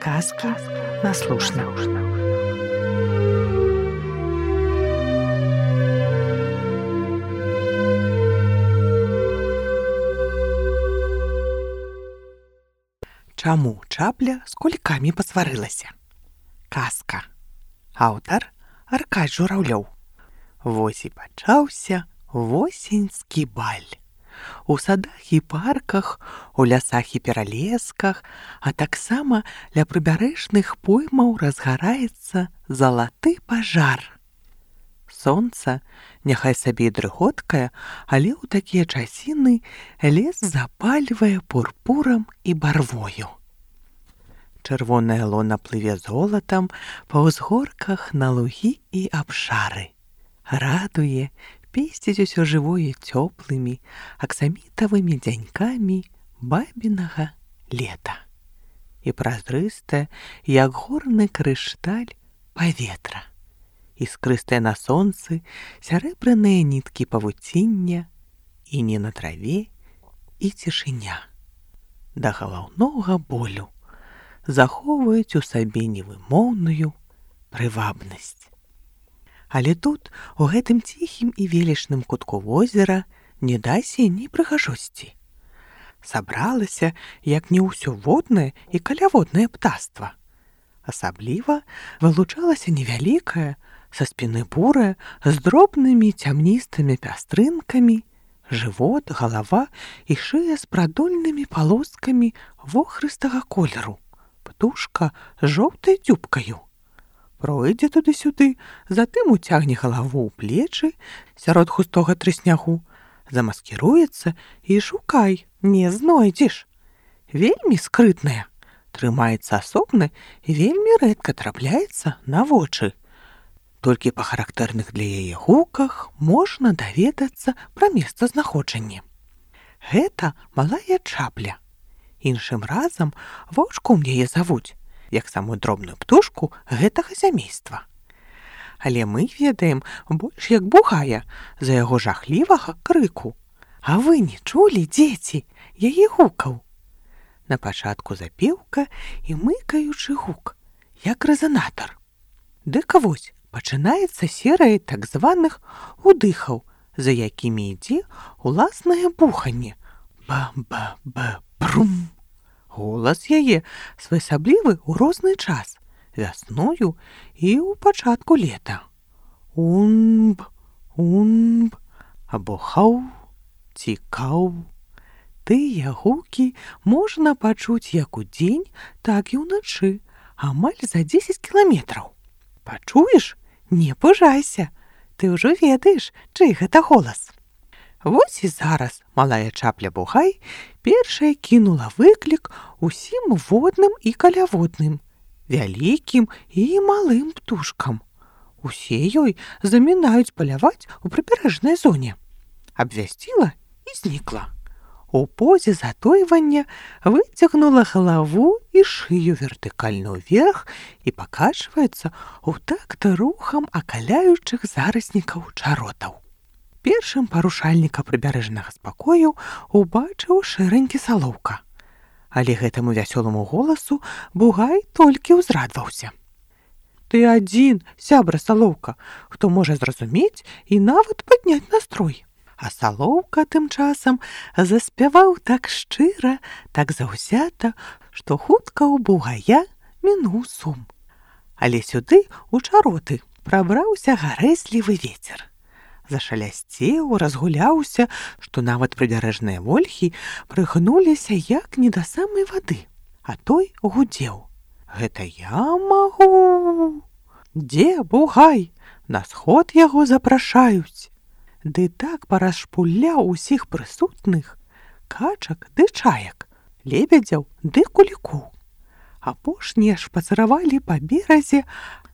Сказки на слушна. Чаму чапля з кулікамі пасварылася? Казка. Аўтар Аркадзь Жураўлёў. Вось і пачаўся восеньскі баль. У садах і парках, у лясах і пералесках, а таксама ля прыбярэжных поймаў разгараецца залаты пажар. Сонца, няхай сабе і дрыготкае, але ў такія часіны лес запальвае пурпурам і барвою. Чырвонае лона плыве золатам па ўзгорках на лугі і абшары. Радуе, песціць усё жывое цёплымі, аксамітавымі дзянькамі бабінага лета. І празрыстае, як горны крышталь, паветра. Іскрыстыя на сонцы сярэбраныя ніткі павуціння, і не на траве, і цішыня. Да галаўнога болю захоўваюць у сабе невымоўную прывабнасць. Але тут, у гэтым ціхім і велічным кутку возера, не дасе ні прыгажосці. Сабралася, як не ўсё воднае і каляводнае птаства. Асабліва вылучалася невялікая, са спіны бурая, з дробнымі цямністымі пястрынкамі, жывот, галава і шыя з прадольнымі палоскамі вохрыстага колеру, птушка з жоўтай дзюбкаю. Пройдзе туды-сюды, затым уцягне галаву ў плечы сярод густога трыснягу, замаскіруецца і шукай, не знойдзеш. Вельмі скрытная, трымаецца асобна і вельмі рэдка трапляецца на вочы. Толькі па характэрных для яе гуках можна даведацца пра месцазнаходжанне. Гэта малая чапля. Іншым разам ваўчком яе завуць, як самую дробную птушку гэтага сямейства. Але мы ведаем больш як бугая за яго жахлівага крыку. А вы не чулі, дзеці, яе гукаў? На пачатку запеўка і мыкаючы гук, як рэзанатар. Дык вось, пачынаецца серыя так званых удыхаў, за якімі ідзе уласнае буханне. Ба-ба-ба-брум. Голас яе своеасаблівы ў розны час, вясною і ў пачатку лета. Унб, унб, або хау, цікаў. Тыя гукі можна пачуць як удзень, так і ўначы, амаль за 10 кіламетраў. Пачуеш? Не пужайся, ты ўжо ведаеш, чый гэта голас. Вось і зараз малая чапля-бугай першая кінула выклік усім водным і каляводным, вялікім і малым птушкам. Усе ёй замінаюць паляваць у прыбярэжнай зоне. Абвясціла і знікла. У позе затойвання выцягнула галаву і шыю вертыкальна ўверх і пакачваецца ў такт рухам акаляючых зараснікаў чаротаў. Першым парушальніка прыбярэжнага спакою убачыў шэранькі салоўка. Але гэтаму вясёламу голасу бугай толькі ўзрадваўся. Ты адзін, сябра салоўка, хто можа зразумець і нават падняць настрой. А салоўка тым часам заспяваў так шчыра, так заўзята, што хутка ў бугая мінуў сум. Але сюды, у чароты, прабраўся гарэзлівы вецер. Зашалясцеў, разгуляўся, што нават прыбярэжныя вольхі прыгнуліся як не да самай вады, а той гудзеў. Гэта я магу. Дзе бугай? На сход яго запрашаюць. Ды так парашпуляў усіх прысутных, качак ды чаек, лебедзяў ды кулікоў. Апошнія шпацыравалі па беразе,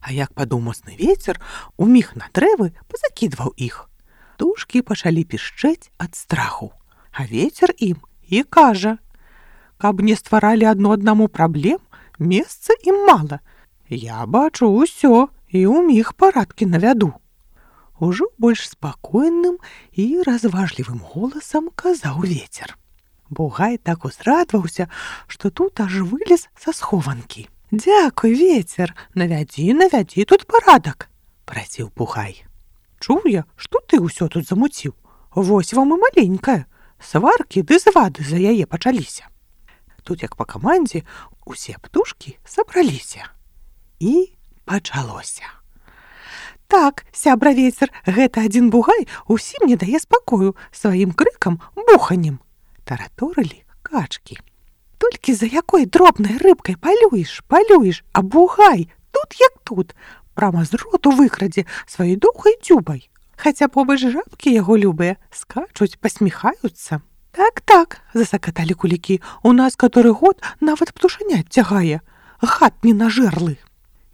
а як падуў моцны вецер, уміг на дрэвы пазакідваў іх. Птушкі пачалі пішчэць ад страху, а вецер ім і кажа: каб не стваралі адно аднаму праблем, месца ім мала. Я бачу ўсё і уміг парадкі навяду. Ужо больш спакойным і разважлівым голасам казаў вецер. Бугай так узрадваўся, што тут аж вылез са схованкі. Дзякуй, вецер, навядзі тут парадак, прасіў Бугай. Чуў я, што ты ўсё тут замуціў. Вось вам і маленькая. Сваркі ды звады за яе пачаліся. Тут, як па камандзе, усе птушкі сабраліся. І пачалося. Так, сябра вецер, гэта адзін Бугай усім не дае спакою сваім крыкам, буханнем. Тараторылі качкі. Толькі за якой дробнай рыбкай палюеш, а Бугай тут як тут, прама з роту выкрадзе сваёй доўгай дзюбай. Хаця побач жабкі яго любыя скачуць, пасміхаюцца. Так, засакаталі кулікі, у нас каторы год нават птушанят цягае, гад ненажэрлы.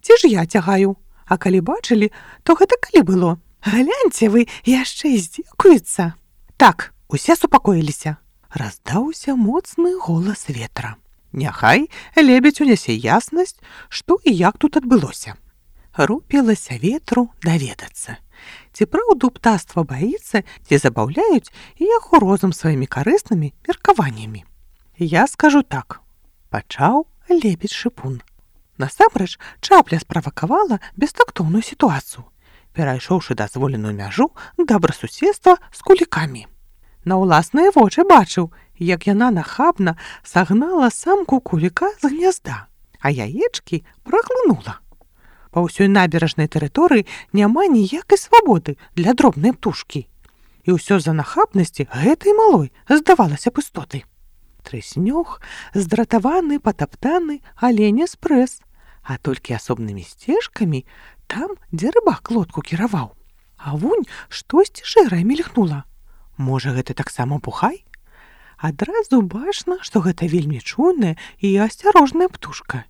Ці ж я цягаю? А калі бачылі, то гэта калі было? Гляньце вы, яшчэ здзекуюцца. Так, усе супакоіліся. Раздаўся моцны голас ветра. Няхай лебедзь унясе яснасць, што і як тут адбылося. Рупілася ветру даведацца. Ці праўду птаства баіцца, ці забаўляюць яго розум сваімі карыснымі меркаваннямі. Я скажу так, пачаў лебедь-шыпун. Насамрэч, чапля справакавала бестактоўную сітуацыю, перайшоўшы дазволеную мяжу добрасуседства з кулікамі. На ўласныя вочы бачыў, як яна нахабна сагнала самку куліка з гнязда, а яечкі праглынула. Па ўсёй наберажнай тэрыторыі няма ніякай свабоды для дробнай птушкі. І ўсё з-за нахабнасці гэтай малой здавалася б істоты. Трэснёг, здратаваны, патаптаны, аленя спрэс, а толькі асобнымі сцежкамі там, дзе рыбак лодку кіраваў. А вунь штосьці шэрае мільгнула. Можа, гэта таксама Бугай? Адразу бачна, што гэта вельмі чуйная і асцярожная птушка.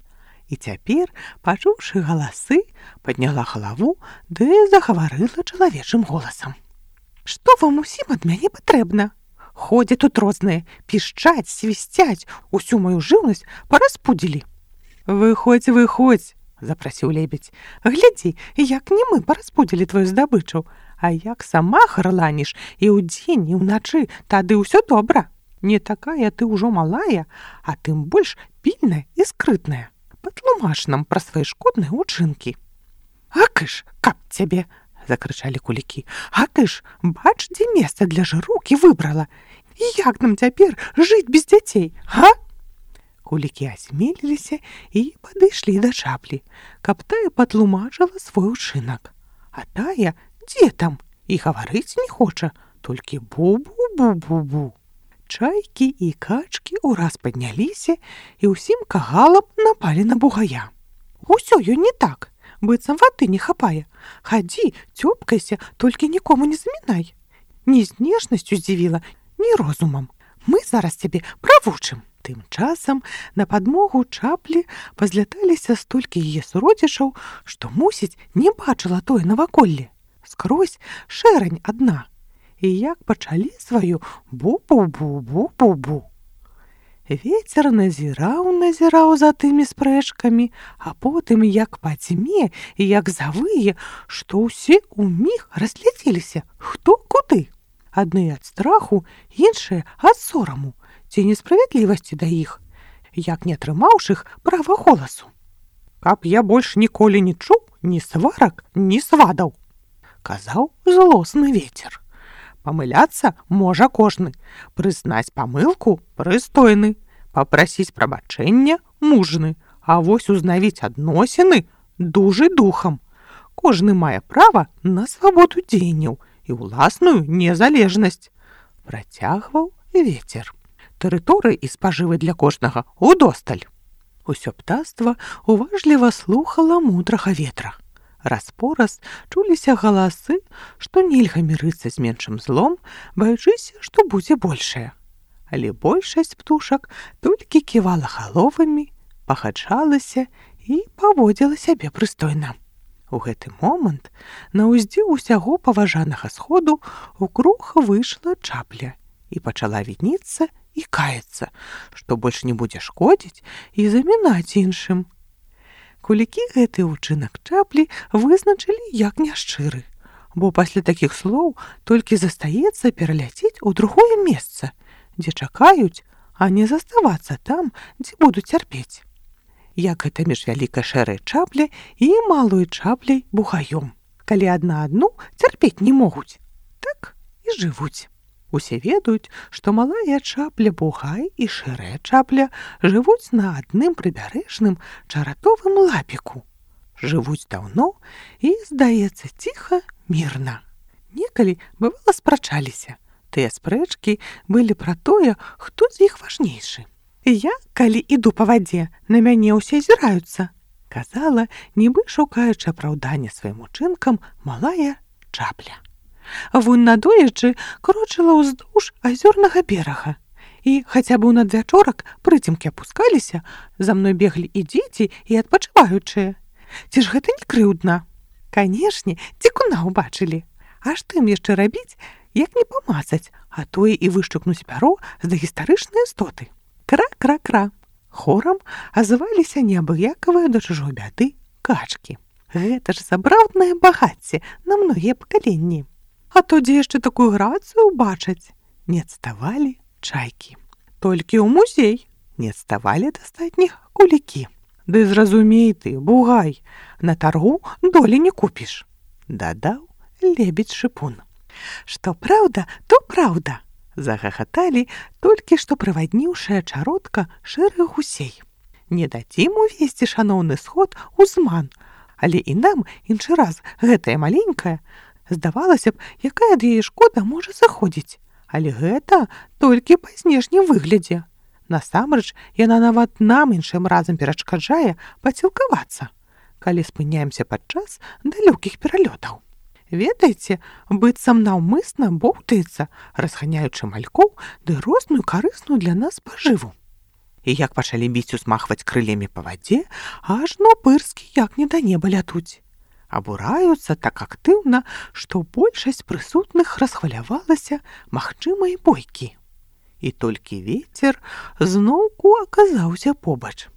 І цяпер, пачуўшы галасы, падняла галаву ды загаварыла чалавечым голасам. Што вам усім ад мяне патрэбна? Ходзяць тут розныя, пішчаць, свісцяць, усю маю жыўнасць параспудзілі. Выходзь, запрасіў лебедь. Глядзі, як не мы параспудзілі твою здабычу, а як сама гарланіш і ўдзень, і ўначы, тады ўсё добра. Не такая ты ўжо малая, а тым больш пільная і скрытная. Патлумач нам пра свае шкодныя ўчынкі. Акыш, каб цябе, закрычалі кулікі. Акыш, бач, дзе месца для жыроўкі выбрала. І як нам цяпер жыць без дзяцей, га? Кулікі асмеліліся і падышлі да чаплі, каб тая патлумачыла свой учынак. А тая, дзе там, і гаварыць не хоча, толькі бу-бу-бу-бу-бу. Чайкі і качкі ўраз падняліся і ўсім кагалам напалі на Бугая. Усё ёй не так, быццам вады не хапае. Хадзі, цёпкайся, толькі нікому не замінай. Ні знешнасцю здзівіла, ні розумам. Мы зараз цябе правучым. Тым часам на падмогу чаплі пазляталіся столькі яе суродзічаў, што, мусіць, не бачыла тое наваколле. Скрозь шэрань адна. І як пачалі сваю бу-бу-бу-бу-бу-бу. Вецер назіраў за тымі спрэчкамі, а потым як пацьме і як завые, што ўсе ўміг разляцеліся, хто куды. Адны ад страху, іншыя ад сораму, ці несправядлівасці да іх, як не атрымаўшы іх права голасу. Каб я больш ніколі не чуў ні сварак, ні свадаў, казаў злосны вецер. Памыляцца можа кожны, прызнаць памылку прыстойны, папрасіць прабачэння мужны, а вось узнавіць адносіны дужы духам. Кожны мае права на свабоду дзеянняў і ўласную незалежнасць, працягваў вецер. Тэрыторыі і спажывы для кожнага удосталь. Усё птаства уважліва слухала мудрага ветра. Раз-пораз чуліся галасы, што нельга мірыцца з меншым злом, баючыся, што будзе большае. Але большасць птушак толькі ківала галовамі, пагаджалася і паводзіла сябе прыстойна. У гэты момант на ўздзе ўсяго паважанага сходу ў круг выйшла чапля і пачала вініцца і каяцца, што больш не будзе шкодзіць і замінаць іншым. Кулікі гэты ўчынак чаплі вызначылі як няшчыры, бо пасля такіх слоў толькі застаецца пераляцець у другое месца, дзе чакаюць, а не заставацца там, дзе будуць цярпець. як гэта між вялікай шэрай чапляй і малой чапляй бугаём, калі адна адну цярпець не могуць. Так і жывуць. Усе ведаюць, што малая чапля бугай і шэрая чапля жывуць на адным прыбярэжным чаратовым лапіку. Жывуць даўно і, здаецца, ціха, мірна. Некалі, бывала, спрачаліся. Тыя спрэчкі былі пра тое, хто з іх важнейшы. «Я, калі іду па вадзе, на мяне ўсе азіраюцца», казала, нібы шукаючы апраўдання сваім учынкам, малая чапля. Вунь надоечы крочыла ўздоўж азёрнага берага. І хаця б у надвячорак прыцемкі апускаліся, за мной беглі і дзеці, і адпачываючыя. Ці ж гэта не крыўдна? Канешне, цікуна ўбачылі. А што ім яшчэ рабіць, як не памацаць, а тое і вышчукнуць пяро з дагістарычнай істоты. Кра-кра-кра. Хорам азываліся неабыякавыя да чужой бяды качкі. Гэта ж сапраўднае багацце на многія пакаленні. А то дзе яшчэ такую грацыю ўбачаць? Не адставалі чайкі. Толькі ў музей не адставалі ад астатніх кулікі. Ды зразумей ты, бугай, на таргу долі не купіш, дадаў лебедь-шыпун. Што праўда, то праўда, загахаталі толькі што прывадніўшая чаротка шэрых гусей. Не дадзім увесці шаноўны сход у зман, але і нам іншы раз гэтая маленькая, здавалася б, якая ад яе шкода можа заходзіць, але гэта толькі па знешнім выглядзе. Насамрэч, яна нават нам іншым разам перашкаджае пацілкавацца, калі спыняемся падчас далёкіх пералётаў. Ведаеце, быццам наўмысна боўтаецца, разганяючы малькоў ды розную карысную для нас пажыву. І як пачалі біць усмахваць крылемі па вадзе, ажно пырскі як не да неба лятуць. Абураюцца так актыўна, што большасць прысутных расхвалявалася магчымай бойкі. І толькі вецер зноўку аказаўся побач.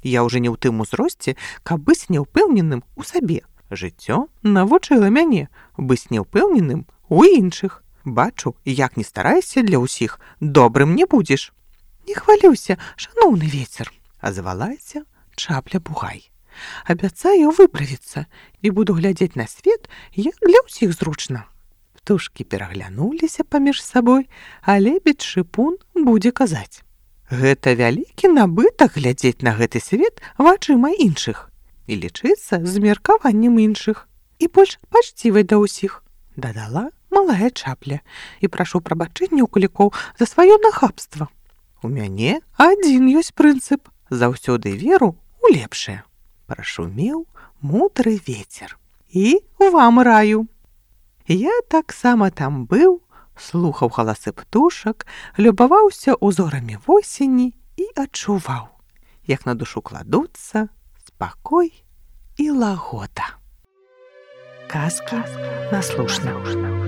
Я ўжо не ў тым узросце, каб быць няўпэўненым у сабе. Жыццё навучыла мяне быць няўпэўненым у іншых. Бачу, як не старайся для ўсіх, добрым не будзеш. Не хвалюйся, шаноўны вецер, азвалася чапля-бугай. Абяцаю выправіцца і буду глядзець на свет, як для ўсіх зручна. Птушкі пераглянуліся паміж сабой, а лебедь-шыпун будзе казаць. Гэта вялікі набытак глядзець на гэты свет вачыма іншых і лічыцца з меркаваннем іншых і больш пачцівай да ўсіх, дадала малая чапля, і прашу прабачэння ў кулікоў за сваё нахабства. У мяне адзін ёсць прынцып, заўсёды веру у лепшае. Прашумеў мудры вецер. І вам раю. Я таксама там быў, слухаў галасы птушак, любаваўся узорамі восені і адчуваў, як на душу кладуцца спакой і лагода. Казка наслушна.